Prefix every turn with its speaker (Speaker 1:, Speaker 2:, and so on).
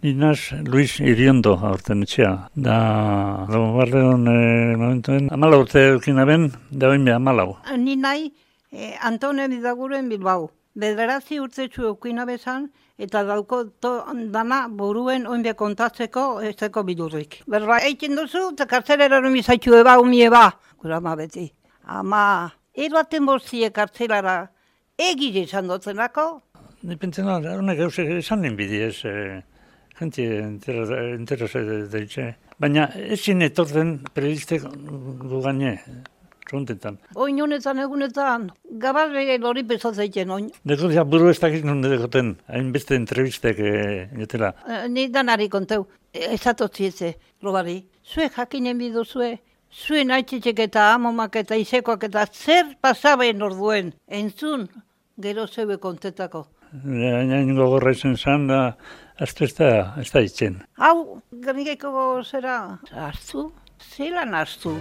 Speaker 1: Inaz Luis Iriondo aurten etxea. Da, barreon momentuen, 14 urte eukina ben, da oin beha 14.
Speaker 2: Ni nahi, Antone Bidaguren Bilbao. 9 urtetxu eukina bezan, eta dauko dana buruen oin beha kontatzeko ez deko bidurrik. Berba, eitzen duzu, eta kartzelera numizaitxu eba, umi eba. Gura ma beti. Ama, erbaten bortzie kartzelara egire esan dutzenako.
Speaker 1: Nipentzen honek esan ninbidi ez, gente interesa deitxe. Baina ezin etorten periodistek gugane, txuntetan.
Speaker 2: Oin honetan egunetan, gabarre hori pesatzen oin.
Speaker 1: Deko ja buru ez dakik non dekoten, hainbeste entrevistek getela.
Speaker 2: Ni danari konteu, ezatotzietze, robari. Zue jakinen biduzue, zuen aitzitzek eta amomak eta izekoak eta zer pasaben orduen, entzun, gero zeue kontetako.
Speaker 1: Hain gogorra izan zan, da, aztu ez da itzen.
Speaker 2: Hau, garnikeko zera, hartu? Zelan hartu?